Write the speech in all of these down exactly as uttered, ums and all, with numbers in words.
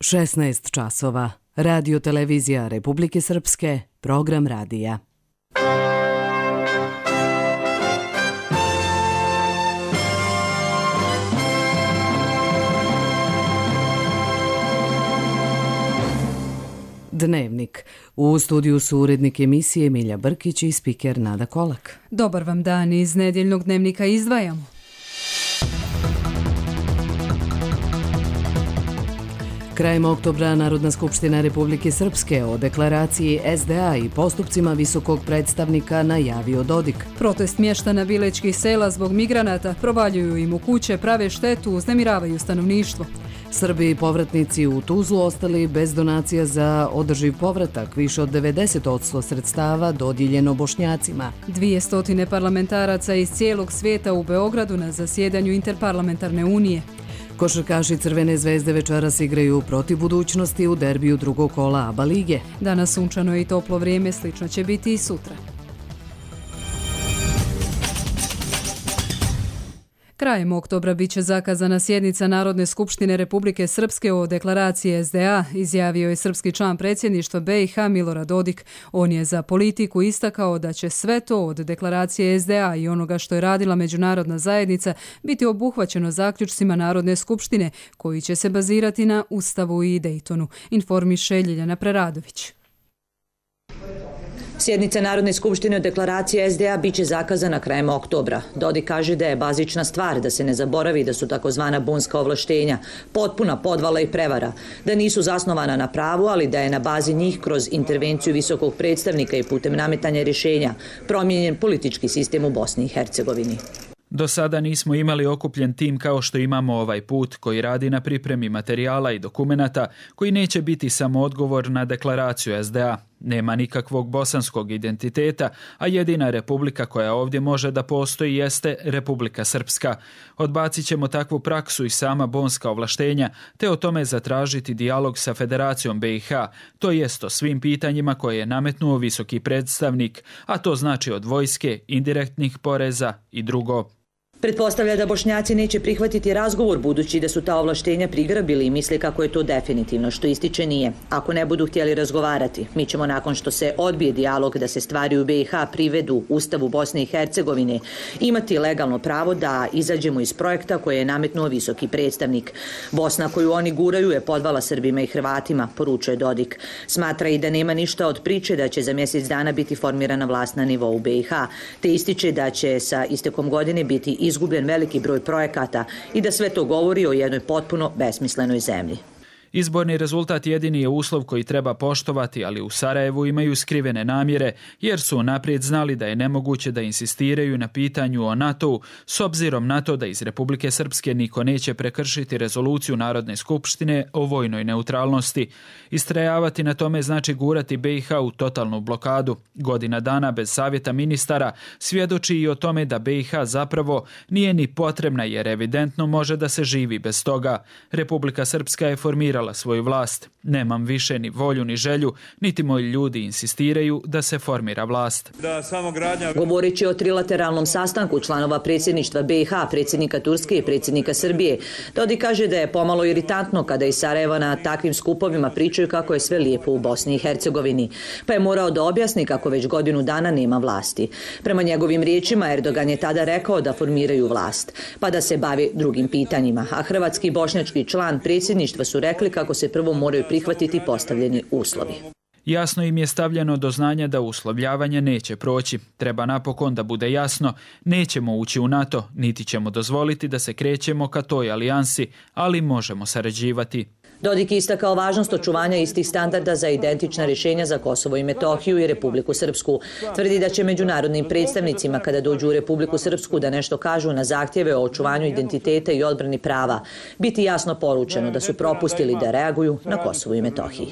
šesnaest časova. Radio televizija Republike Srpske, program radija. Dnevnik. U studiju su urednik emisije Milja Brkić i spiker Nada Kolak. Dobar vam dan, iz nedjeljnog dnevnika izdvajamo. Krajem oktobra Narodna skupština Republike Srpske o deklaraciji es de a i postupcima visokog predstavnika najavio Dodik. Protest mještana bilečkih sela zbog migranata, provaljuju im u kuće, prave štetu, uznemiravaju stanovništvo. Srbi i povratnici u Tuzlu ostali bez donacija za održiv povratak, više od devedeset posto sredstava dodijeljeno Bošnjacima. Dvije stotine parlamentaraca iz cijelog svijeta u Beogradu na zasjedanju Interparlamentarne unije. Košarkaši Crvene zvezde večeras igraju protiv Budućnosti u derbiju drugog kola ABA lige. Danas sunčano i toplo vrijeme, slično će biti i sutra. Krajem oktobra biće zakazana sjednica Narodne skupštine Republike Srpske o deklaraciji es de a, izjavio je srpski član predsjedništva be i ha Milorad Dodik. On je za politiku istakao da će sve to od deklaracije es de a i onoga što je radila međunarodna zajednica biti obuhvaćeno zaključcima Narodne skupštine, koji će se bazirati na Ustavu i Dejtonu, informiše Ljiljana Preradović. Sjednica Narodne skupštine o deklaraciji es de a biće zakazana krajem oktobra. Dodik kaže da je bazična stvar da se ne zaboravi da su takozvana bunska ovlaštenja potpuna podvala i prevara, da nisu zasnovana na pravu, ali da je na bazi njih kroz intervenciju visokog predstavnika i putem nametanja rješenja promijenjen politički sistem u Bosni i Hercegovini. Do sada nismo imali okupljen tim kao što imamo ovaj put, koji radi na pripremi materijala i dokumenata, koji neće biti samo odgovor na deklaraciju es de a. Nema nikakvog bosanskog identiteta, a jedina republika koja ovdje može da postoji jeste Republika Srpska. Odbacit ćemo takvu praksu i sama bonska ovlaštenja, te o tome zatražiti dijalog sa Federacijom be i ha, to jest o svim pitanjima koje je nametnuo visoki predstavnik, a to znači od vojske, indirektnih poreza i drugo. Pretpostavlja da Bošnjaci neće prihvatiti razgovor budući da su ta ovlaštenja prigrabili i misle kako je to definitivno, što ističe nije. Ako ne budu htjeli razgovarati, mi ćemo nakon što se odbije dijalog da se stvari u be i ha privedu Ustavu Bosne i Hercegovine imati legalno pravo da izađemo iz projekta koje je nametnuo visoki predstavnik. Bosna koju oni guraju je podvala Srbima i Hrvatima, poručuje Dodik. Smatra i da nema ništa od priče da će za mjesec dana biti formirana vlast na nivou be i ha, te ističe da će sa istekom godine biti iz izgubljen veliki broj projekata i da sve to govori o jednoj potpuno besmislenoj zemlji. Izborni rezultat jedini je uslov koji treba poštovati, ali u Sarajevu imaju skrivene namjere, jer su naprijed znali da je nemoguće da insistiraju na pitanju o NATO-u, s obzirom na to da iz Republike Srpske niko neće prekršiti rezoluciju Narodne skupštine o vojnoj neutralnosti. Istrajavati na tome znači gurati be i ha u totalnu blokadu. Godina dana bez savjeta ministara svjedoči i o tome da be i ha zapravo nije ni potrebna, jer evidentno može da se živi bez toga. Republika Srpska je formirala svoju vlast. Nemam više ni volju ni želju, niti moji ljudi insistiraju da se formira vlast. Da, samo gradnja... Govoreći o trilateralnom sastanku članova predsjedništva be i ha, predsjednika Turske i predsjednika Srbije, Dodik kaže da je pomalo iritantno kada iz Sarajeva na takvim skupovima pričaju kako je sve lijepo u Bosni i Hercegovini, pa je morao da objasni kako već godinu dana nema vlasti. Prema njegovim riječima, Erdogan je tada rekao da formiraju vlast, pa da se bavi drugim pitanjima, a hrvatski i bošnjački član predsjedništva su rekli kako se prvo moraju prihvatiti postavljeni uslovi. Jasno im je stavljeno do znanja da uslovljavanje neće proći. Treba napokon da bude jasno, nećemo ući u NATO, niti ćemo dozvoliti da se krećemo ka toj alijansi, ali možemo sarađivati. Dodik je istakao važnost očuvanja istih standarda za identična rješenja za Kosovo i Metohiju i Republiku Srpsku. Tvrdi da će međunarodnim predstavnicima kada dođu u Republiku Srpsku da nešto kažu na zahtjeve o očuvanju identiteta i odbrani prava biti jasno poručeno da su propustili da reaguju na Kosovu i Metohiji.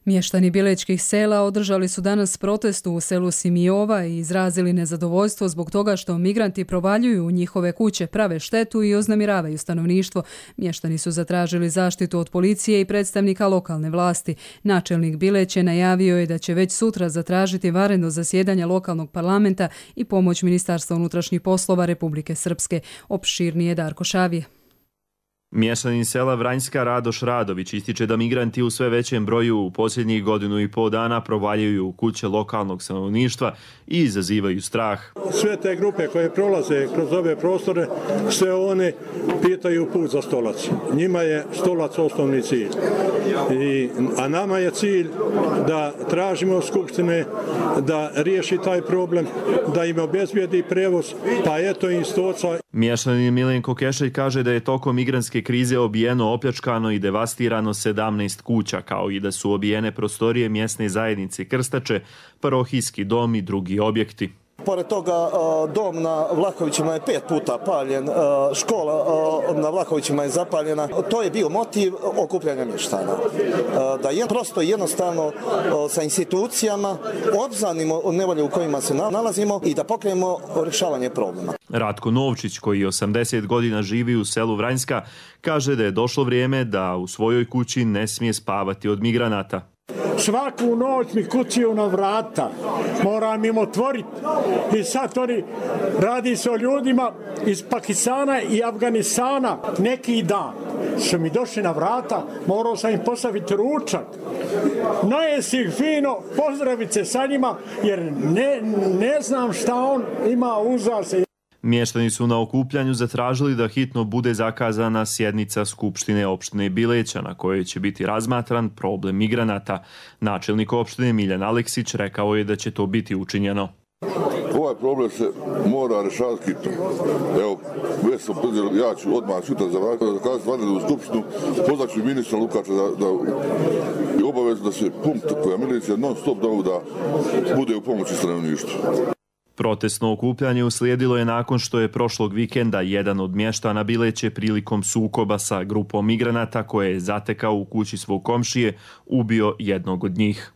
Mještani bilečkih sela održali su danas protest u selu Simijova i izrazili nezadovoljstvo zbog toga što migranti provaljuju u njihove kuće, prave štetu i uznemiravaju stanovništvo. Mještani su zatražili zaštitu od policije i predstavnika lokalne vlasti. Načelnik Bileće najavio je da će već sutra zatražiti vanredno zasjedanje lokalnog parlamenta i pomoć Ministarstva unutrašnjih poslova Republike Srpske. Opširnije Darko Šavije. Mještanin sela Vranjska Radoš Radović ističe da migranti u sve većem broju u posljednjih godinu i pol dana provaljuju u kuće lokalnog stanovništva i izazivaju strah. Sve te grupe koje prolaze kroz ove prostore, sve one pitaju put za stolac. Njima je stolac osnovni cilj. I, a nama je cilj da tražimo od Skupštine da riješi taj problem, da im obezbijedi prevoz, pa eto im stoca. Mještanin Milenko Kešelj kaže da je tokom migrantske krize obijeno, opljačkano i devastirano sedamnaest kuća, kao i da su obijene prostorije mjesne zajednice Krstače, parohijski dom i drugi objekti. Pored toga, dom na Vlahovićima je pet puta paljen, škola na Vlahovićima je zapaljena. To je bio motiv okupljanja mještana. Da je prosto jednostavno sa institucijama obznanimo nevolje u kojima se nalazimo i da pokrenemo rješavanje problema. Ratko Novčić, koji osamdeset godina živi u selu Vranjska, kaže da je došlo vrijeme da u svojoj kući ne smije spavati od migranata. Svaku noć mi kucaju na vrata, moram im otvoriti. I sad oni, radi se o ljudima iz Pakistana i Afganistana. Neki dan su mi došli na vrata, morao sam im postaviti ručak. Najesi ih fino, pozdraviti se sa njima, jer ne, ne znam šta on ima uza se. Mještani su na okupljanju zatražili da hitno bude zakazana sjednica Skupštine opštine Bileća na kojoj će biti razmatran problem migranata. Načelnik opštine Miljan Aleksić rekao je da će to biti učinjeno. Ovaj problem se mora rješavati hitno. Evo, već sam predzel, ja ću odmah sutra zakazati vanrednu skupštinu, pozvat ću ministra Lukača da, da je obavezno da se punkt koja milicija non stop da bude u pomoći stanovništvu. Protestno okupljanje uslijedilo je nakon što je prošlog vikenda jedan od mještana Bileće prilikom sukoba sa grupom migranata koje je zatekao u kući svog komšije ubio jednog od njih.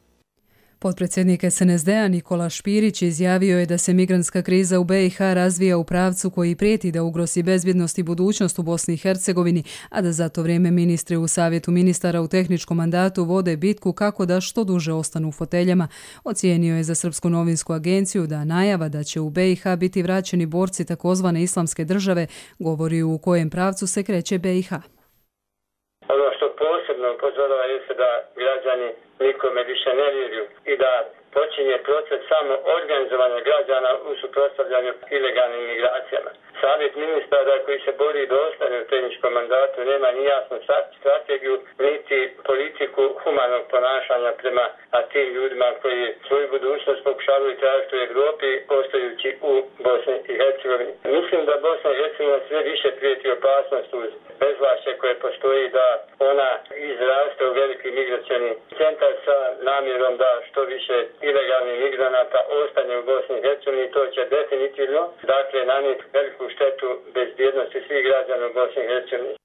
Potpredsjednik es en es de a Nikola Špirić izjavio je da se migrantska kriza u be i ha razvija u pravcu koji prijeti da ugrozi bezbjednost i budućnost u Bosni i Hercegovini, a da za to vrijeme ministri u Savjetu ministara u tehničkom mandatu vode bitku kako da što duže ostanu u foteljama. Ocijenio je za Srpsku novinsku agenciju da najava da će u be i ha biti vraćeni borci takozvane islamske države govori u kojem pravcu se kreće be i ha. Ono što posebno upozorava je da građani nikome više ne vjeruju i da počinje proces samo organizovanja građana u suprotstavljanju ilegalnim migracijama. Savjet ministara koji se bori da ostane u tehničkom mandatu nema ni jasnu strategiju, niti politiku humanog ponašanja prema tim ljudima koji svoju budućnost pokušavaju tražiti u Europi, ostajući u Bosni i Hercegovini. Mislim da Bosna i Hercegovina sve više prijeti opasnost uz bezvlašće koje postoji da ona izraste u veliki migracioni centar sa namjerom da što više ilegalnih migranata ostane u Bosni i Hercegovini. To će definitivno, dakle, nanijeti veliku štetu bezbjednosti svih građana u Bosni i Hercegovini.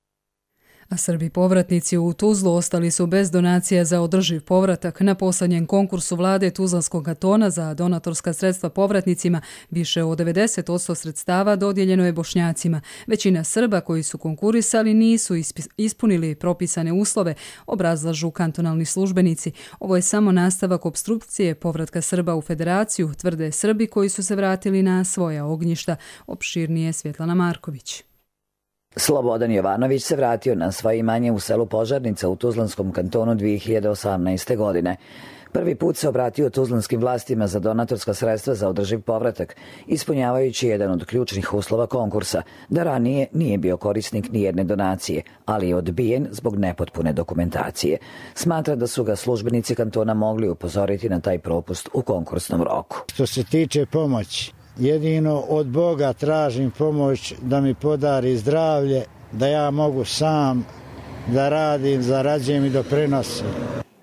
A Srbi povratnici u Tuzlu ostali su bez donacija za održiv povratak. Na posljednjem konkursu vlade Tuzlanskog kantona za donatorska sredstva povratnicima više od devedeset posto sredstava dodijeljeno je Bošnjacima. Većina Srba koji su konkurisali nisu ispunili propisane uslove, obrazlažu kantonalni službenici. Ovo je samo nastavak opstrukcije povratka Srba u federaciju, tvrde Srbi koji su se vratili na svoja ognjišta. Opširnije Svjetlana Marković. Slobodan Jovanović se vratio na svoje imanje u selu Požarnica u Tuzlanskom kantonu dvije hiljade osamnaeste. godine. Prvi put se obratio tuzlanskim vlastima za donatorska sredstva za održiv povratak, ispunjavajući jedan od ključnih uslova konkursa, da ranije nije bio korisnik nijedne donacije, ali je odbijen zbog nepotpune dokumentacije. Smatra da su ga službenici kantona mogli upozoriti na taj propust u konkursnom roku. Što se tiče pomoći, jedino od Boga tražim pomoć da mi podari zdravlje, da ja mogu sam da radim, zarađujem i doprinosim.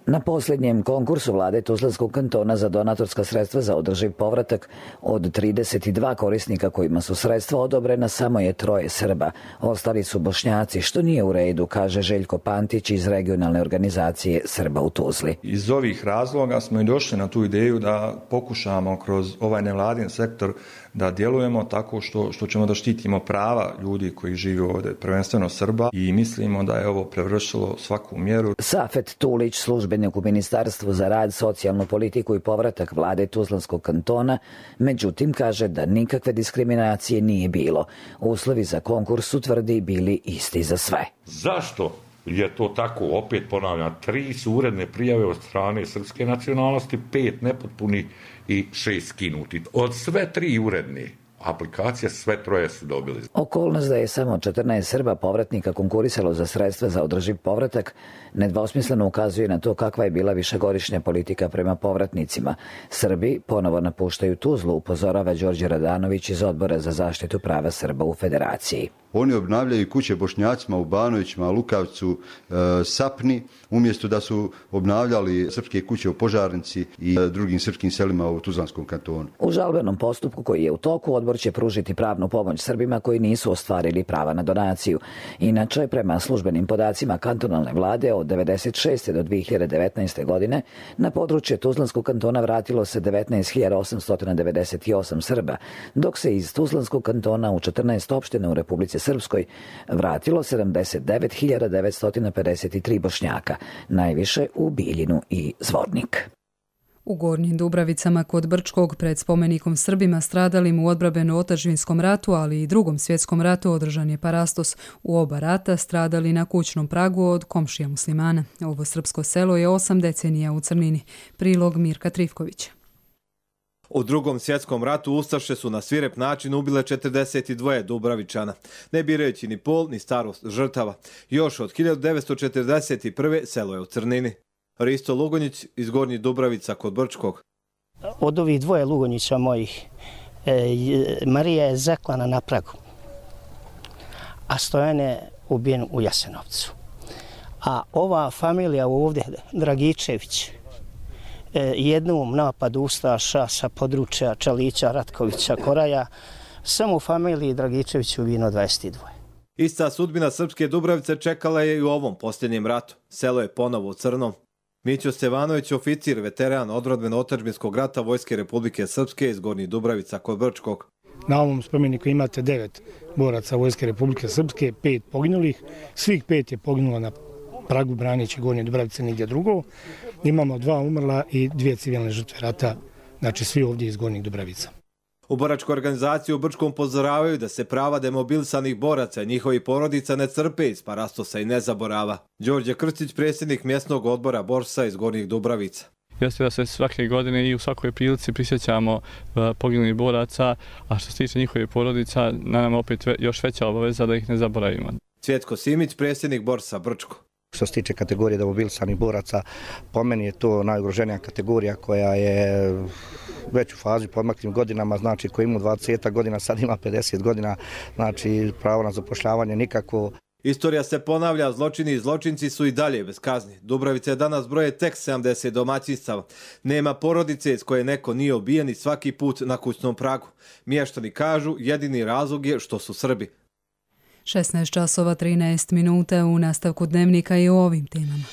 Na posljednjem konkursu vlade Tuzlanskog kantona za donatorska sredstva za održiv povratak od trideset dva korisnika kojima su sredstva odobrena samo je troje Srba. Ostali su Bošnjaci, što nije u redu, kaže Željko Pantić iz regionalne organizacije Srba u Tuzli. Iz ovih razloga smo i došli na tu ideju da pokušamo kroz ovaj nevladin sektor da djelujemo tako što, što ćemo da štitimo prava ljudi koji žive ovdje, prvenstveno Srba, i mislimo da je ovo prevršilo svaku mjeru. Safet Tulić, službenik u Ministarstvu za rad, socijalnu politiku i povratak vlade Tuzlanskog kantona, međutim kaže da nikakve diskriminacije nije bilo. Uslovi za konkurs su, tvrdi, bili isti za sve. Zašto je to tako? Opet ponavljam, tri su uredne prijave od strane srpske nacionalnosti, pet nepotpuni i šest skinuti. Od sve tri uredne aplikacije sve troje su dobili. Okolnost da je samo četrnaest Srba povratnika konkurisalo za sredstva za održiv povratak nedvosmisleno ukazuje na to kakva je bila višegodišnja politika prema povratnicima. Srbi ponovo napuštaju Tuzlu, upozorava Đorđe Radanović iz Odbora za zaštitu prava Srba u Federaciji. Oni obnavljaju kuće Bošnjacima u Banovićima, Lukavcu, e, Sapni, umjesto da su obnavljali srpske kuće u Požarnici i e, drugim srpskim selima u Tuzlanskom kantonu. U žalbenom postupku koji je u toku, odbor će pružiti pravnu pomoć Srbima koji nisu ostvarili prava na donaciju. Inače, prema službenim podacima kantonalne vlade, od devedeset šeste do dve hiljade devetnaeste. godine na područje Tuzlanskog kantona vratilo se devetnaest hiljada osamsto devedeset osam Srba, dok se iz Tuzlanskog kantona u četrnaest opština u Republici Srpskoj vratilo sedamdeset devet hiljada devetsto pedeset tri Bošnjaka, najviše u Biljinu i Zvornik. U Gornjim Dubravicama kod Brčkog pred spomenikom Srbima stradalim u odbrambeno-otadžbinskom ratu, ali i drugom svjetskom ratu održan je parastos. U oba rata stradali na kućnom pragu od komšija muslimana. Ovo srpsko selo je osam decenija u crnini. Prilog Mirka Trivkovića. U drugom svjetskom ratu ustaše su na svirep način ubile četrdeset dva Dubravičana, ne birajući ni pol ni starost žrtava. Još od hiljadu devetsto četrdeset prve selo je u crnini. Risto Lugonjić iz Gornjih Dubravica kod Brčkog. Od ovih dvoje Lugonjića mojih, e, Marija je zaklana na pragu, a Stojan je ubijen u Jasenovcu. A ova familija ovdje, Dragičević, jednom napadu ustaša sa područja Čalića, Ratkovića, Koraja, samo u familiji Dragičević ubijeno dvadeset dva. Ista sudbina srpske Dubravice čekala je i u ovom posljednjem ratu. Selo je ponovo u crnom. Mićo Stevanović, oficir, veteran odbrambeno-otadžbinskog rata Vojske Republike Srpske iz Gornjih Dubravica kod Brčkog. Na ovom spomeniku imate devet boraca Vojske Republike Srpske, pet poginulih. Svih pet je poginulo na pragu braneći Gornje Dubravice, nigdje drugo. Imamo dva umrla i dvije civilne žrtve rata, znači svi ovdje iz Gornjih Dubravica. U boračkoj organizaciji u Brčkom upozoravaju da se prava demobilisanih boraca i njihovih porodica ne crpe iz parastosa i ne zaborava. Đorđe Krstić, predsjednik mjesnog odbora borsa iz Gornjih Dubravica. Jeste da se svake godine i u svakoj prilici prisjećamo poginulih boraca, a što se tiče njihovih porodica, na nama opet još veća obaveza da ih ne zaboravimo. Cvjetko Simić, predsjednik borsa Brčko. Što se tiče kategorije demobilisanih boraca, po meni je to najugroženija kategorija koja je već u fazi podmaklim godinama, znači koji ima dvadeset godina, sad ima pedeset godina, znači pravo na zapošljavanje nikako. Istorija se ponavlja, zločini i zločinci su i dalje bez kazni. Dubravice danas broje tek sedamdeset domaćinstava. Nema porodice iz koje neko nije ubijen i svaki put na kućnom pragu. Mještani kažu, jedini razlog je što su Srbi. šesnaest časova trinaest minuta u nastavku dnevnika i o ovim temama.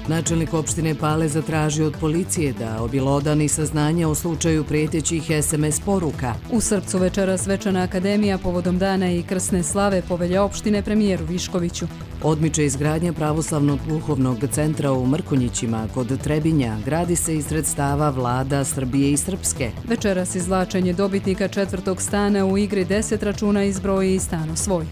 Načelnik opštine Pale zatražio od policije da objelodani saznanja o slučaju prijetećih es em es poruka. U Srpcu večera svečana akademija povodom dana i krsne slave povelja opštine premijeru Viškoviću. Odmiče izgradnja pravoslavnog duhovnog centra u Mrkonjićima kod Trebinja. Gradi se iz sredstava vlada Srbije i Srpske. Večeras izvlačenje dobitnika četvrtog stana u igri deset računa izbroji i stano svoj.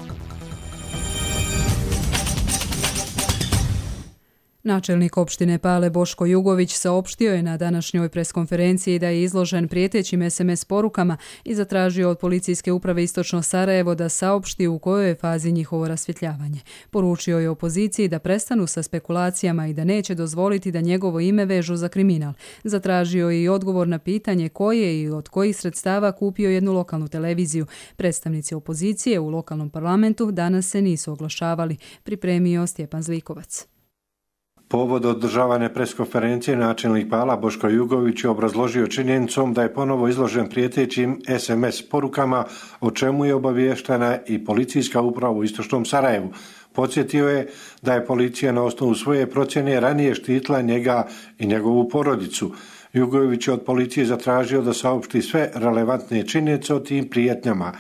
Načelnik opštine Pale Boško Jugović saopštio je na današnjoj preskonferenciji da je izložen prijetećim es em es porukama i zatražio od policijske uprave Istočno Sarajevo da saopšti u kojoj je fazi njihovo rasvjetljavanje. Poručio je opoziciji da prestanu sa spekulacijama i da neće dozvoliti da njegovo ime vežu za kriminal. Zatražio je i odgovor na pitanje ko je i od kojih sredstava kupio jednu lokalnu televiziju. Predstavnici opozicije u lokalnom parlamentu danas se nisu oglašavali, pripremio Stjepan Zlikovac. Povod održavane preskonferencije načelnik Pala Boško Jugović je obrazložio činjenicom da je ponovo izložen prijetećim es em es porukama, o čemu je obaviještena i policijska uprava u Istočnom Sarajevu. Podsjetio je da je policija na osnovu svoje procjene ranije štitila njega i njegovu porodicu. Jugović je od policije zatražio da saopšti sve relevantne činjenice o tim prijetnjama.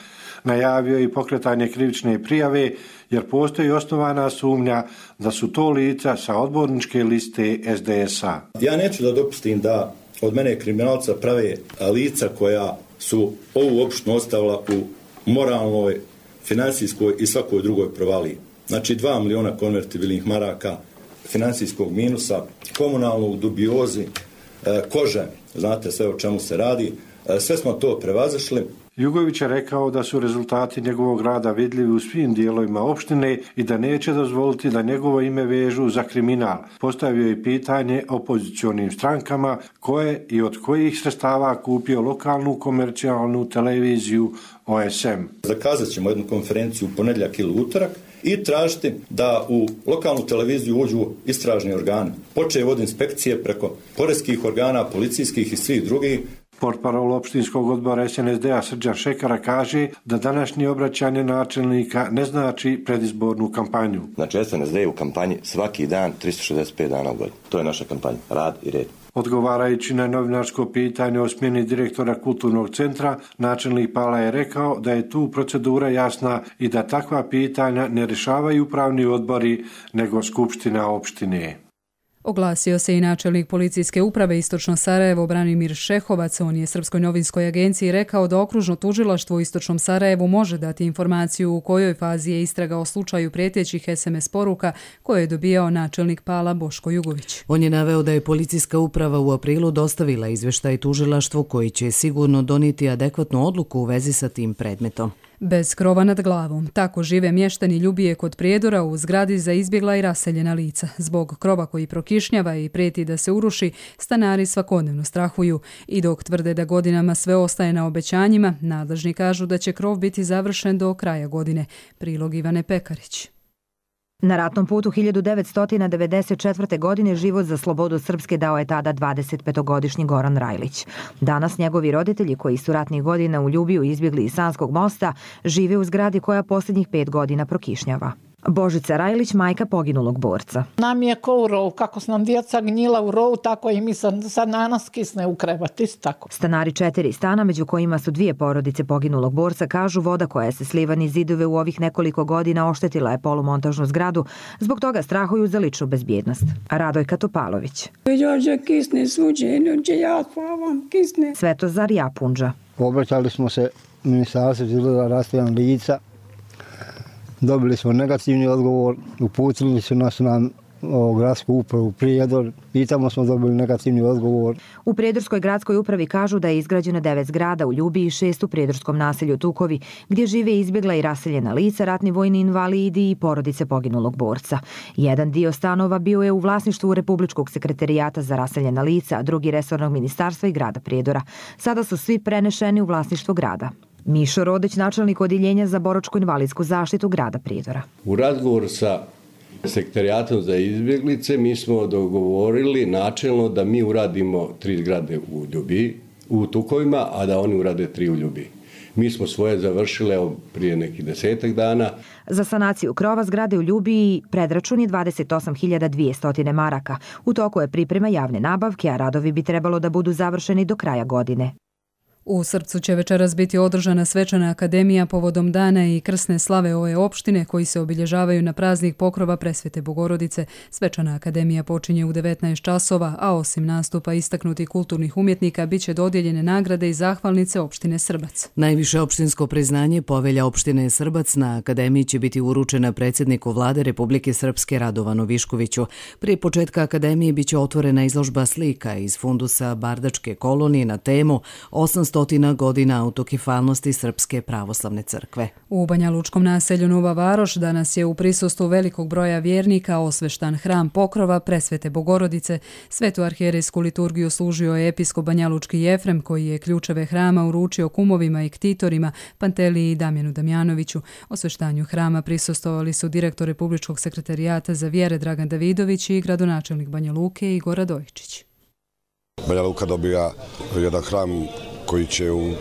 Najavio i pokretanje krivične prijave jer postoji osnovana sumnja da su to lica sa odborničke liste es de es a. Ja neću da dopustim da od mene kriminalca prave lica koja su ovu opštinu ostavila u moralnoj, finansijskoj i svakoj drugoj provaliji. Znači dva miliona konvertibilnih maraka, finansijskog minusa, komunalnog dubiozi, kože, znate sve o čemu se radi, sve smo to prevazišli. Jugović je rekao da su rezultati njegovog rada vidljivi u svim dijelovima opštine i da neće dozvoliti da njegovo ime vežu za kriminal. Postavio je pitanje opozicionim strankama koje i od kojih sredstava kupio lokalnu komercijalnu televiziju O S M. Zakazat ćemo jednu konferenciju u ponedjeljak ili utorak i tražiti da u lokalnu televiziju uđu istražni organi. Počev od inspekcije preko poreskih organa, policijskih i svih drugih. Portparol opštinskog odbora es en es de a Srđan Šekara kaže da današnje obraćanje načelnika ne znači predizbornu kampanju. Znači es en es de je u kampanji svaki dan tristo šezdeset pet dana u godini. To je naša kampanja, rad i red. Odgovarajući na novinarsko pitanje o smjeni direktora kulturnog centra, načelnik Pala je rekao da je tu procedura jasna i da takva pitanja ne rješavaju upravni odbori nego skupština opštine. Oglasio se i načelnik policijske uprave Istočno Sarajevo Branimir Šehovac. On je Srpskoj novinskoj agenciji rekao da okružno tužilaštvo u Istočnom Sarajevu može dati informaciju u kojoj fazi je istraga o slučaju prijetećih es em es poruka koje je dobijao načelnik Pala Boško Jugović. On je naveo da je policijska uprava u aprilu dostavila izveštaj tužilaštvu koji će sigurno donijeti adekvatnu odluku u vezi sa tim predmetom. Bez krova nad glavom. Tako žive mještani Ljubije kod Prijedora u zgradi za izbjegla i raseljena lica. Zbog krova koji prokišnjava i prijeti da se uruši, stanari svakodnevno strahuju. I dok tvrde da godinama sve ostaje na obećanjima, nadležni kažu da će krov biti završen do kraja godine. Prilog Ivane Pekarić. Na ratnom putu hiljadu devetsto devedeset četvrte. godine život za slobodu Srpske dao je tada dvadesetpetogodišnji Goran Rajlić. Danas njegovi roditelji, koji su ratnih godina u Ljubiju izbjegli iz Sanskog mosta, žive u zgradi koja posljednjih pet godina prokišnjava. Božica Rajlić, majka poginulog borca. Nam je ko u rovu, kako su nam djeca gnjila u rovu, tako i mi sad, sad na nas kisne u krevat, isto tako. Stanari četiri stana, među kojima su dvije porodice poginulog borca, kažu voda koja je se sliva niz zidove u ovih nekoliko godina oštetila je polumontažnu zgradu, zbog toga strahuju za ličnu bezbjednost. Radojka Topalović. Dođe kisne suđenje, dođe ja spavam, kisne. Svetozar Japunđa. Obraćali smo se ministarstvu za rastavljanje lica. Dobili smo negativni odgovor, uputili su nas na o, gradsku upravu Prijedor, pitamo smo dobili negativni odgovor. U Prijedorskoj gradskoj upravi kažu da je izgrađeno devet zgrada u Ljubiji i šest u Prijedorskom naselju Tukovi, gdje žive izbjegla i raseljena lica, ratni vojni invalidi i porodice poginulog borca. Jedan dio stanova bio je u vlasništvu Republičkog sekretarijata za raseljena lica, a drugi resornog ministarstva i grada Prijedora. Sada su svi prenešeni u vlasništvo grada. Mišo Rodeć, načelnik odjeljenja za boračko-invalidsku zaštitu grada Prijedora. U razgovoru sa sekretarijatom za izbjeglice mi smo dogovorili načelno da mi uradimo tri zgrade u Ljubiji, u Tukovima, a da oni urade tri u Ljubiji. Mi smo svoje završile prije nekih desetak dana. Za sanaciju krova zgrade u Ljubiji predračun je dvadeset osam hiljada dvjesto maraka. U toku je priprema javne nabavke, a radovi bi trebalo da budu završeni do kraja godine. U Srpcu će večeras biti održana svečana akademija povodom dana i krsne slave ove opštine koji se obilježavaju na praznik pokrova Presvete Bogorodice. Svečana akademija počinje u devetnaest časova, a osim nastupa istaknutih kulturnih umjetnika bit će dodijeljene nagrade i zahvalnice opštine Srbac. Najviše opštinsko priznanje Povelja opštine Srbac na akademiji će biti uručena predsjedniku vlade Republike Srpske Radovanu Viškoviću. Prije početka akademije biće otvorena izložba slika iz fundusa Bardačke kolonije na temu osamsto godina autokefalnosti Srpske pravoslavne crkve. U Banjalučkom naselju Nova Varoš danas je u prisustvu velikog broja vjernika osveštan hram pokrova Presvete Bogorodice. Svetu arhijerejsku liturgiju služio je episkop Banjalučki Jefrem, koji je ključeve hrama uručio kumovima i ktitorima Panteliji i Damjanu Damjanoviću. Osveštanju hrama prisustvovali su direktor Republičkog sekretarijata za vjere Dragan Davidović i gradonačelnik Banja Luke Igor Radojičić. Banja Luka dobija jedan hram koji će u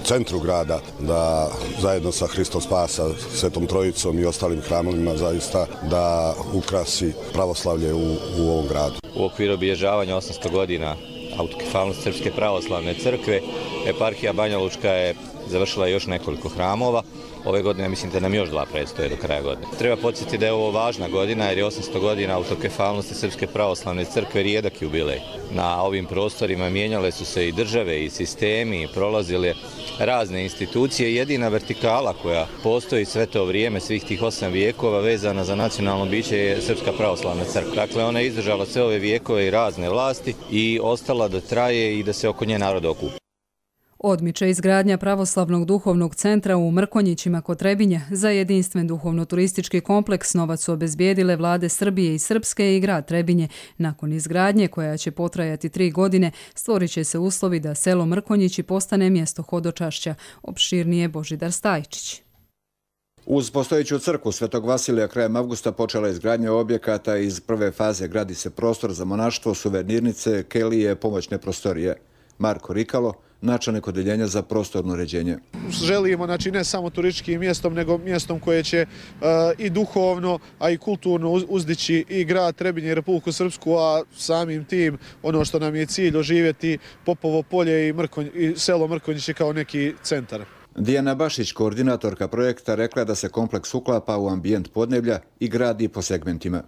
centru grada da zajedno sa Hristom Spasa, Svetom Trojicom i ostalim hramovima zaista da ukrasi pravoslavlje u, u ovom gradu. U okviru obilježavanja osamsto godina autokefalnost Srpske pravoslavne crkve. Eparhija Banja Lučka je završila još nekoliko hramova. Ove godine mislim da nam još dva predstoje do kraja godine. Treba podsjetiti da je ovo važna godina jer je osamsto godina autokefalnosti Srpske pravoslavne crkve rijedak jubilej. Na ovim prostorima mijenjale su se i države i sistemi i prolazile razne institucije. Jedina vertikala koja postoji sve to vrijeme, svih tih osam vijekova vezana za nacionalno biće je Srpska pravoslavna crkva. Dakle, ona je izdržala sve ove vijekove i razne vlasti i ostala da traje i da se oko nje narod okupi. Odmiče izgradnja pravoslavnog duhovnog centra u Mrkonjićima kod Trebinja. Za jedinstven duhovno-turistički kompleks novac su obezbijedile vlade Srbije i Srpske i grad Trebinje. Nakon izgradnje, koja će potrajati tri godine, stvorit će se uslovi da selo Mrkonjići postane mjesto hodočašća. Opširnije Božidar Stajčić. Uz postojeću crkvu Svetog Vasilija krajem avgusta počela izgradnja objekata. Iz prve faze gradi se prostor za monaštvo, suvenirnice, kelije, pomoćne prostorije. Marko Rikalo, načelnik odeljenja za prostorno uređenje. Želimo, znači, ne samo turističkim mjestom, nego mjestom koje će uh, i duhovno, a i kulturno uzdići i grad Trebinje i Republiku Srpsku, a samim tim ono što nam je cilj oživjeti Popovo polje i, Mrkonj, i selo Mrkonjići kao neki centar. Dijana Bašić, koordinatorka projekta, rekla da se kompleks uklapa u ambijent podneblja i gradi po segmentima.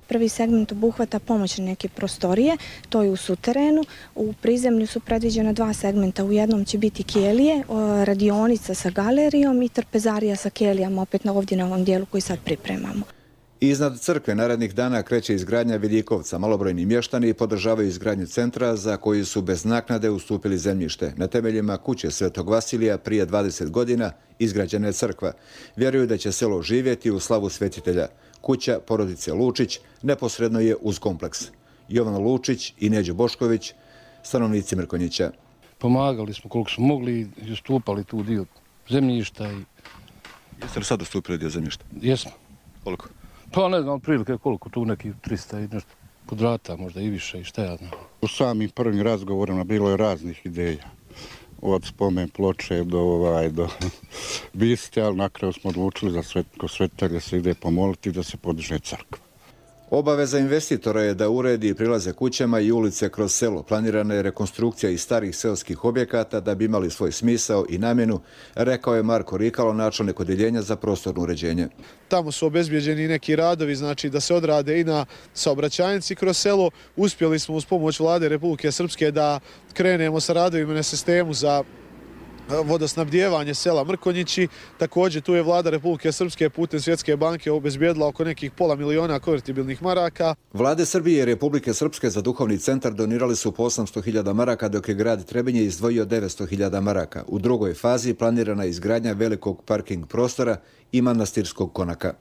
Prvi segment obuhvata pomoćne neke prostorije, to je u suterenu. U prizemlju su predviđena dva segmenta. U jednom će biti kelije, radionica sa galerijom i trpezarija sa kelijama, opet na ovdje na ovom dijelu koji sad pripremamo. Iznad crkve narednih dana kreće izgradnja Viljikovca. Malobrojni mještani podržavaju izgradnju centra za koji su bez naknade ustupili zemljište. Na temeljima kuće Svetog Vasilija prije dvadeset godina izgrađena je crkva. Vjeruju da će selo živjeti u slavu svetitelja. Kuća porodice Lučić neposredno je uz kompleks. Jovan Lučić i Neđo Bošković, stanovnici Mrkonjića. Pomagali smo koliko smo mogli i ustupali tu dio zemljišta. I... Jeste li sad ustupili dio zemljišta? Jesmo. Koliko? Pa ne znam, prilike koliko, tu neki trista i nešto kvadrata, možda i više i šta ja znam. U samim prvim razgovorima bilo je raznih ideja. Od spomen ploče do, ovaj, do biste, ali na kraju smo odlučili za svet, ko svetitelja se ide pomoliti da se podiže crkva. Obaveza investitora je da uredi prilaze kućama i ulice kroz selo. Planirana je rekonstrukcija iz starih seoskih objekata da bi imali svoj smisao i namjenu, rekao je Marko Rikalo, načelnik odeljenja za prostorno uređenje. Tamo su obezbijeđeni neki radovi, znači da se odrade i na saobraćajnici kroz selo. Uspjeli smo uz pomoć vlade Republike Srpske da krenemo sa radovima na sistemu za vodosnabdijevanje sela Mrkonjići. Također tu je vlada Republike Srpske putem Svjetske banke obezbijedila oko nekih pola miliona konvertibilnih maraka. Vlade Srbije i Republike Srpske za duhovni centar donirali su po osamsto hiljada maraka, dok je grad Trebinje izdvojio devetsto hiljada maraka. U drugoj fazi planirana je izgradnja velikog parking prostora i manastirskog konaka.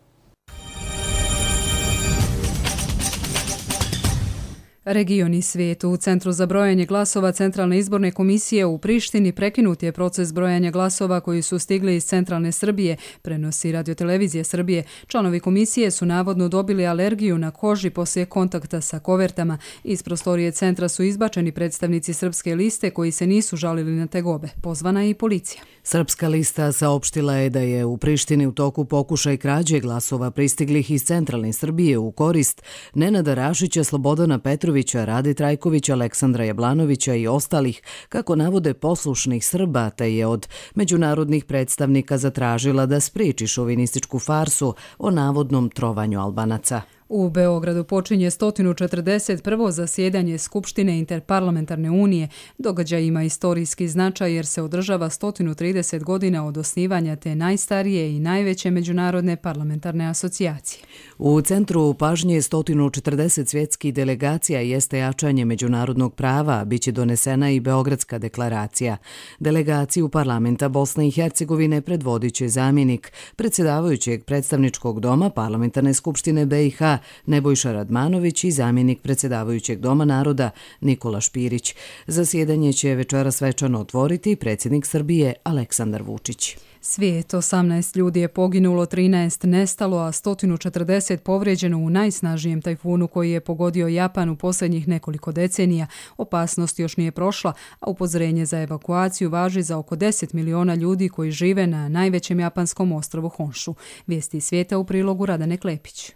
Region i svijet. U Centru za brojanje glasova Centralne izborne komisije u Prištini prekinut je proces brojanja glasova koji su stigli iz Centralne Srbije, prenosi Radiotelevizija Srbije. Članovi komisije su navodno dobili alergiju na koži poslije kontakta sa kovertama. Iz prostorije centra su izbačeni predstavnici Srpske liste koji se nisu žalili na tegobe. Pozvana je i policija. Srpska lista saopštila je da je u Prištini u toku pokušaj krađe glasova pristiglih iz Centralne Srbije u korist Nenada Rašića, Slobodana Petrovića, Rade Trajkovića, Aleksandra Jablanovića i ostalih, kako navode poslušnih Srba, te je od međunarodnih predstavnika zatražila da spriječi šovinističku farsu o navodnom trovanju Albanaca. U Beogradu počinje sto četrdeset prvo zasjedanje Skupštine Interparlamentarne unije. Događaj ima istorijski značaj jer se održava sto trideset godina od osnivanja te najstarije i najveće međunarodne parlamentarne asocijacije. U centru pažnje sto četrdeset svjetskih delegacija jeste jačanje međunarodnog prava, biće donesena i Beogradska deklaracija. Delegaciju parlamenta Bosne i Hercegovine predvodit će zamjenik predsjedavajućeg predstavničkog doma Parlamentarne skupštine B i H Nebojša Radmanović i zamjenik predsjedavajućeg Doma naroda Nikola Špirić. Zasjedanje će večeras svečano otvoriti predsjednik Srbije Aleksandar Vučić. Svijet, osamnaest ljudi je poginulo, trinaest nestalo, a sto četrdeset povrijeđeno u najsnažnijem tajfunu koji je pogodio Japan u posljednjih nekoliko decenija. Opasnost još nije prošla, a upozorenje za evakuaciju važi za oko deset miliona ljudi koji žive na najvećem japanskom ostrvu Honshu. Vijesti svijeta u prilogu Radane Klepić.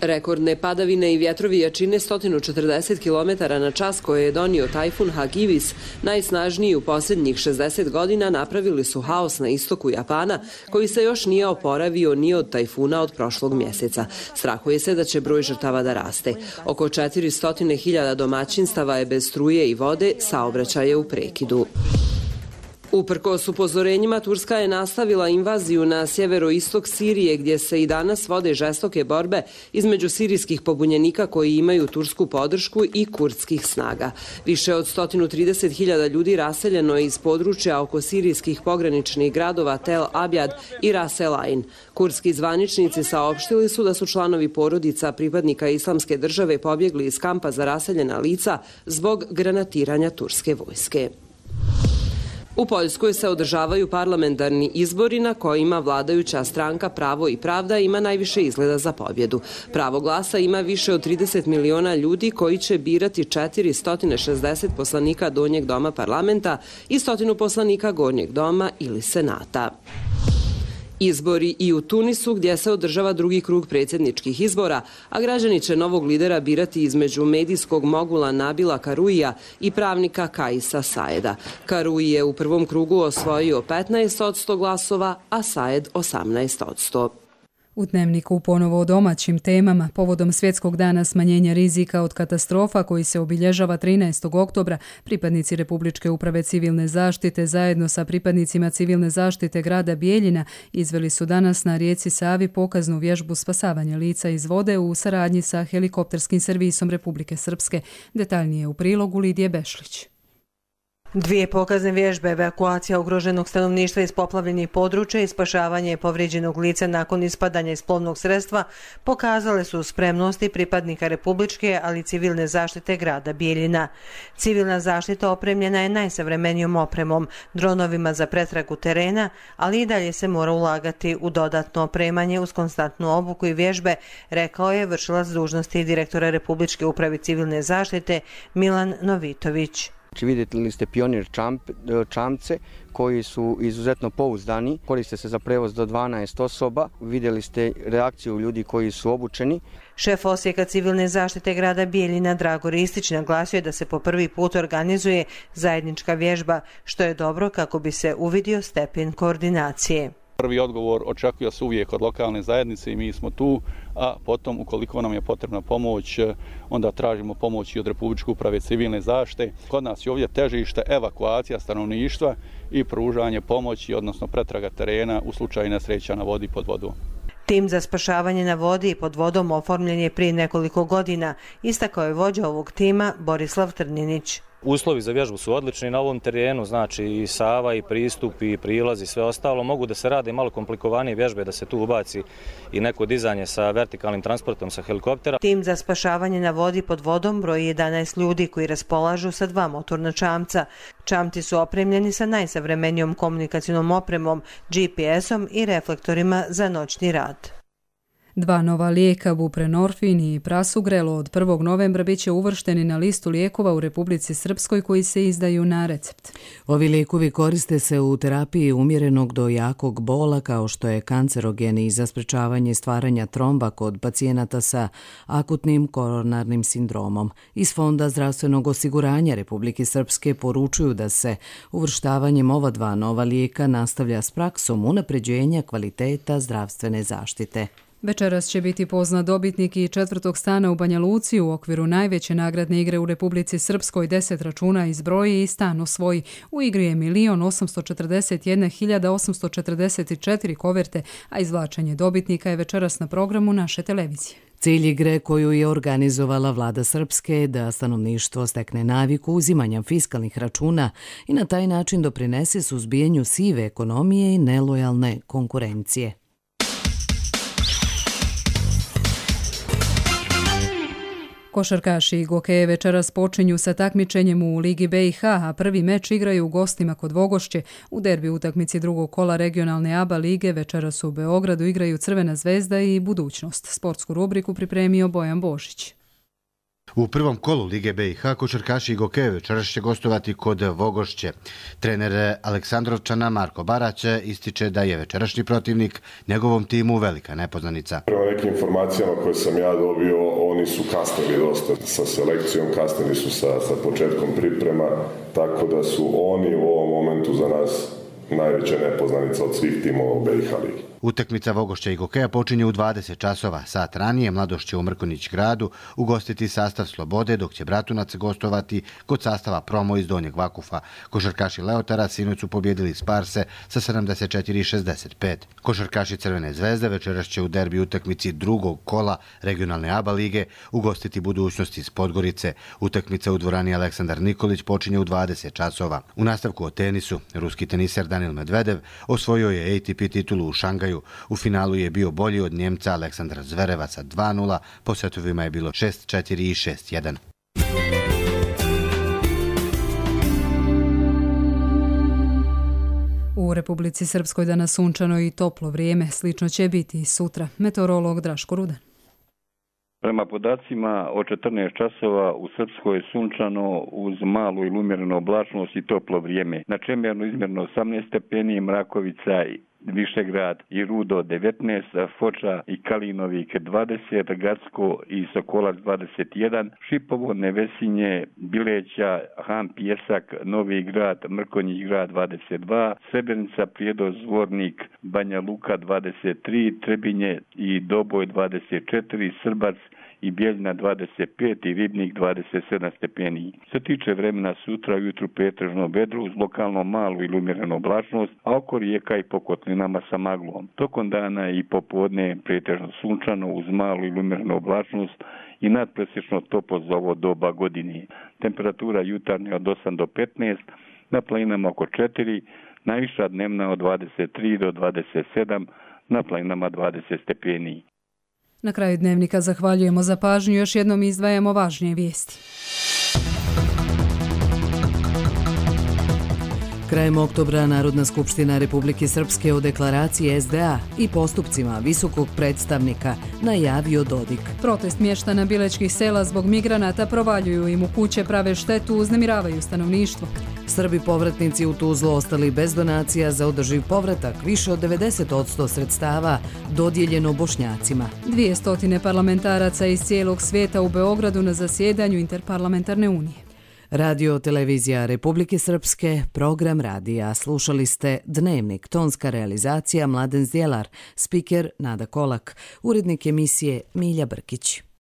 Rekordne padavine i vjetrovi jačine sto četrdeset kilometara na čas koje je donio tajfun Hagibis, najsnažniji u posljednjih šezdeset godina, napravili su haos na istoku Japana, koji se još nije oporavio ni od tajfuna od prošlog mjeseca. Strahuje se da će broj žrtava da raste. Oko četiristo hiljada domaćinstava je bez struje i vode, saobraćaj je u prekidu. Uprkos upozorenjima, Turska je nastavila invaziju na sjeveroistok Sirije, gdje se i danas vode žestoke borbe između sirijskih pobunjenika koji imaju tursku podršku i kurdskih snaga. Više od sto trideset hiljada ljudi raseljeno je iz područja oko sirijskih pograničnih gradova Tel Abjad i Ras El Ain. Kurdski zvaničnici saopštili su da su članovi porodica pripadnika Islamske države pobjegli iz kampa za raseljena lica zbog granatiranja turske vojske. U Poljskoj se održavaju parlamentarni izbori na kojima vladajuća stranka Pravo i pravda ima najviše izgleda za pobjedu. Pravo glasa ima više od trideset miliona ljudi koji će birati četiristo šezdeset poslanika donjeg doma parlamenta i stotinu poslanika gornjeg doma ili senata. Izbori i u Tunisu, gdje se održava drugi krug predsjedničkih izbora, a građani će novog lidera birati između medijskog mogula Nabila Karuija i pravnika Kaisa Saeda. Karuji je u prvom krugu osvojio petnaest posto glasova, a Saed osamnaest posto. U Dnevniku ponovo o domaćim temama. Povodom Svjetskog dana smanjenja rizika od katastrofa koji se obilježava trinaestog oktobra, pripadnici Republičke uprave civilne zaštite zajedno sa pripadnicima civilne zaštite grada Bijeljina izveli su danas na rijeci Savi pokaznu vježbu spasavanja lica iz vode u saradnji sa helikopterskim servisom Republike Srpske. Detaljnije u prilogu Lidije Bešlić. Dvije pokazne vježbe, evakuacija ugroženog stanovništva iz poplavljenih područja i spašavanje povrijeđenog lica nakon ispadanja iz plovnog sredstva pokazale su spremnosti pripadnika Republičke, ali i civilne zaštite grada Bijeljina. Civilna zaštita opremljena je najsavremenijom opremom, dronovima za pretragu terena, ali i dalje se mora ulagati u dodatno opremanje uz konstantnu obuku i vježbe, rekao je vršilac dužnosti direktora Republičke uprave civilne zaštite Milan Novitović. Znači, vidjeli ste pionir čamp, čamce koji su izuzetno pouzdani, koriste se za prevoz do dvanaest osoba, vidjeli ste reakciju ljudi koji su obučeni. Šef Osijeka civilne zaštite grada Bijeljina Drago Ristić naglasio je da se po prvi put organizuje zajednička vježba, što je dobro kako bi se uvidio stepen koordinacije. Prvi odgovor očekuje se uvijek od lokalne zajednice i mi smo tu, a potom ukoliko nam je potrebna pomoć, onda tražimo pomoć i od Republičke uprave civilne zaštite. Kod nas je ovdje težište evakuacija stanovništva i pružanje pomoći, odnosno pretraga terena u slučaju nesreća na vodi pod vodom. Tim za spašavanje na vodi i pod vodom oformljen je prije nekoliko godina, istakao je vođa ovog tima Borislav Trninić. Uslovi za vježbu su odlični na ovom terenu, znači i Sava, i pristup, i prilaz i sve ostalo. Mogu da se rade malo komplikovanije vježbe, da se tu ubaci i neko dizanje sa vertikalnim transportom sa helikoptera. Tim za spašavanje na vodi pod vodom broji jedanaest ljudi koji raspolažu sa dva motorna čamca. Čamci su opremljeni sa najsavremenijom komunikacijnom opremom, G P S-om i reflektorima za noćni rad. Dva nova lijeka, buprenorfin i prasugrelo, od prvog novembra bit će uvršteni na listu lijekova u Republici Srpskoj koji se izdaju na recept. Ovi lijekovi koriste se u terapiji umjerenog do jakog bola, kao što je kancerogen, i za sprečavanje stvaranja tromba kod pacijenata sa akutnim koronarnim sindromom. Iz Fonda zdravstvenog osiguranja Republike Srpske poručuju da se uvrštavanjem ova dva nova lijeka nastavlja s praksom unapređenja kvaliteta zdravstvene zaštite. Večeras će biti poznat dobitnik i četvrtog stana u Banja Luci u okviru najveće nagradne igre u Republici Srpskoj. Deset računa izbroji i stan osvoji. U igri je milion osamsto četrdeset jedna hiljada osamsto četrdeset četiri koverte, a izvlačenje dobitnika je večeras na programu naše televizije. Cilj igre koju je organizovala vlada Srpske je da stanovništvo stekne naviku uzimanja fiskalnih računa i na taj način doprinese suzbijanju sive ekonomije i nelojalne konkurencije. Košarkaši i Gokeje večeras počinju sa takmičenjem u Ligi B i H, a prvi meč igraju u gostima kod Vogošće. U derbi utakmici drugog kola regionalne A B A lige večeras u Beogradu igraju Crvena zvezda i Budućnost. Sportsku rubriku pripremio Bojan Božić. U prvom kolu Lige B i H košarkaši Gokeje večeras će gostovati kod Vogošće. Trener Aleksandrovčana Marko Barać ističe da je večerašnji protivnik njegovom timu velika nepoznanica. Prema nekim informacijama koje sam ja dobio, oni su kasnili dosta sa selekcijom, kasnili su sa, sa početkom priprema, tako da su oni u ovom momentu za nas najveća nepoznanica od svih timova u B i H ligi. Utakmica Vogošća i Gokeja počinje u dvadeset časova. Sat ranije Mladost će u Mrkonjić gradu ugostiti sastav Slobode, dok će Bratunac gostovati kod sastava Promo iz Donjeg Vakufa. Košarkaši Leotara sinoć su pobjedili Sparse sa sedamdeset četiri šezdeset pet. Košarkaši Crvene zvezde večeras će u derbi utakmici drugog kola regionalne A B A lige ugostiti Budućnost iz Podgorice. Utakmica u dvorani Aleksandar Nikolić počinje u dvadeset časova. U nastavku o tenisu, ruski teniser Danil Medvedev osvojio je A T P titulu u Šangaju. U finalu je bio bolji od Njemca Aleksandra Zvereva sa dva nula, po setovima je bilo šest četiri i šest jedan. U Republici Srpskoj danas sunčano i toplo vrijeme, slično će biti i sutra. Meteorolog Draško Rudan. Prema podacima od četrnaest časova u Srpskoj je sunčano uz malu ili umjerenu oblačnost i toplo vrijeme. Na Čemernu izmjerno osamnaest stepeni, Mrakovica Višegrad i Rudo devetnaest, Foča i Kalinovik dvadeset, Gacko i Sokolac dvadeset jedan, Šipovo, Nevesinje, Bileća, Han, Pjesak, Novi Grad, Mrkonjić grad dvadeset dva, Srebrenica, Prijedo, Zvornik, Banja Luka dvadeset tri, Trebinje i Doboj dvadeset četiri, Srbac i Bijeljina dvadeset pet i Ribnik dvadeset sedam stepeni. Se tiče vremena sutra ujutru pretežno vedro uz lokalno malu ili umjerenu oblačnost, a oko rijeka i po kotlinama sa maglom. Tokom dana i popodne pretežno sunčano uz malu ili umjerenu oblačnost i nadpresječno toplo za ovo doba godine. Temperatura jutarnja od osam do petnaest, na planinama oko četiri, najviša dnevna od dvadeset tri do dvadeset sedam, na planinama dvadeset stepeni. Na kraju dnevnika zahvaljujemo za pažnju, još jednom izdvajamo važnije vijesti. Krajem oktobra Narodna skupština Republike Srpske o deklaraciji S D A i postupcima visokog predstavnika najavio Dodik. Protest mještana bilečkih sela zbog migranata provaljuju im u kuće, prave štetu, uznemiravaju stanovništvo. Srbi povratnici u Tuzlu ostali bez donacija za održiv povratak, više od devedeset posto sredstava dodijeljeno Bošnjacima. Dvije stotine parlamentaraca iz cijelog svijeta u Beogradu na zasjedanju Interparlamentarne unije. Radio Televizija Republike Srpske, program radija. Slušali ste Dnevnik, tonska realizacija Mladen Zdjelar, spiker Nada Kolak, urednik emisije Milja Brkić.